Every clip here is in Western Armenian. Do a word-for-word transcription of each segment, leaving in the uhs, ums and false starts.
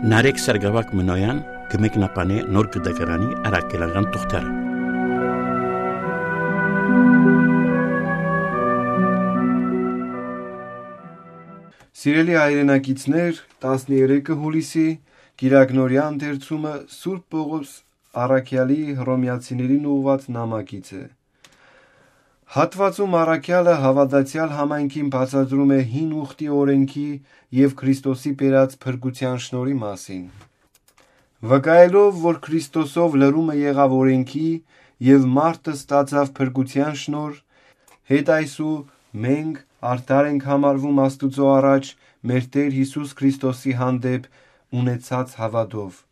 Նարեկ Սարգսակ Մնոյան կը մեկնաբանէ Նոր Կտակարանի առաքելական թուղթերը։ Սիրելի հայրենակիցներ, տասներեքը հուլիսի Կիրակնօրեայ ընթերցումը Սուրբ Պողոս առաքեալի Հռոմեացիներին ուղղուած նամակից է։ Հատուածում առաքեալը հաւատացեալ համայնքին բացատրում է հին ուխտի օրէնքի եւ Քրիստոսի բերած փրկութեան շնորհի մասին։ Վկայելով, որ Քրիստոսով լրումը եղաւ օրէնքի եւ մարդը ստացաւ փրկութեան շնորհ, հետ այսու մենք արդար ենք համարվում Աստուծոյ առաջ մեր Տէր Յիսուս Քրիստոսի հանդէպ ունեցած հաւատով։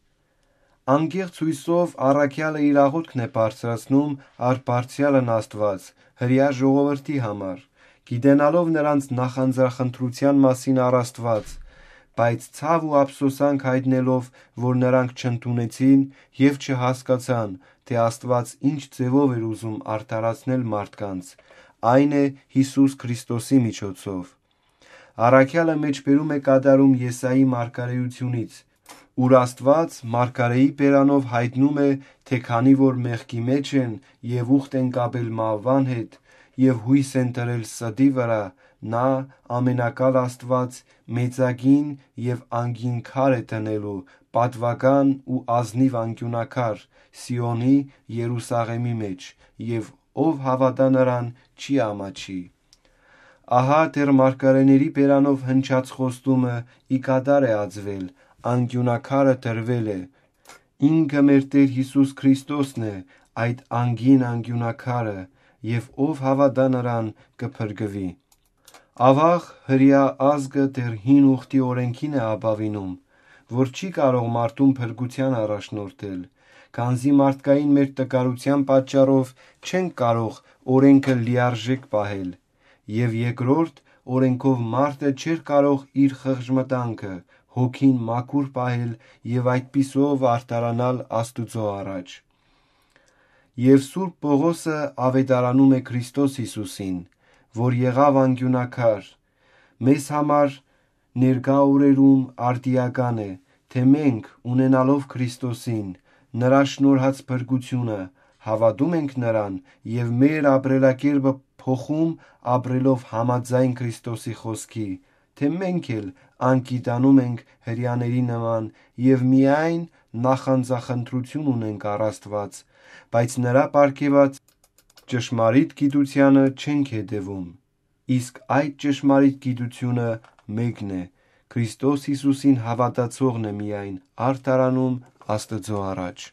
Անկեղծ յոյսով առաքեալը իր աղօթքն է բարձրացնում առ Բարձրեալն Աստուած, հրեայ ժողովրդի համար, գիտենալով նրանց նախանձախնդրութեան մասին առ Աստուած, բայց ցաւ ու ափսոսանք յայտնելով, որ նրանք չընդունեցին եւ չհասկացան, թէ Աստուած ինչ ձեւով էր ուզում արդարացնել մարդկանց, այն է Յիսուս Քրիստոսի միջոցով։ Առաքեալը մէջբերում է կատարում Եսայի մարգարէութիւնից, ուր Աստուած մարգարէի բերանով յայտնում է, թէ քանի որ մեղքի մէջ են եւ ուխտ են կապել մահուան հետ եւ յոյս են դրել ստի վրայ, նա, Ամենակալ Աստուած, մեծագին եւ անգին քար է դնելու, պատուական ու ազնիւ անկիւնակար, Սիոնի, Երուսաղէմի մէջ, եւ ով հաւատայ նրան, չի ամաչի։ Ահա դեռ մարգարէների բերանով հնչած խոստումը ի կատար է ածուել, անկիւնակարը տրուել է։ Ինքը մեր Տէր Յիսուս Քրիստոսն է, այդ անգին անկիւնակարը, եւ ով հաւատայ նրան, կը փրկուի։ Աւաղ, հրեայ ազգը դեռ հին ուխտի օրէնքին է ապաւինում, որ չի կարող մարդուն փրկութեան առաջնորդել, քանզի մարդկային մեր տկարութեան պատճառով չենք կարող օրէնքը լիարժէք պահել, եւ երկրորդ, օրէնքով մարդը չէր կարող իր խղճմտանքը, հոգին մաքուր պահել եւ այդպիսով արդարանալ Աստուծոյ առաջ։ Եւ Սուրբ Պողոսը աւետարանում է Քրիստոս Յիսուսին, որ եղաւ անկիւնակար, մեզ համար ներկայ օրերուն արդիական է, թէ մենք, ունենալով Քրիստոսին, նրա շնորհած փրկութիւնը, հաւատում ենք նրան եւ մեր ապրելակերպը փոխում, ապրելով համաձայն Քրիստոսի խօսքի, թէ մենք էլ անգիտանում ենք հրեաների նման եւ միայն նախանձախնդրութիւն ունենք առ Աստուած, բայց նրա պարգեւած ճշմարիտ գիտությանը չենք հետեւում, իսկ այդ ճշմարիտ գիտությունը մէկն է, Քրիստոս Յիսուսին հաւատացողն է միայն արդարանում Աստուծոյ առաջ։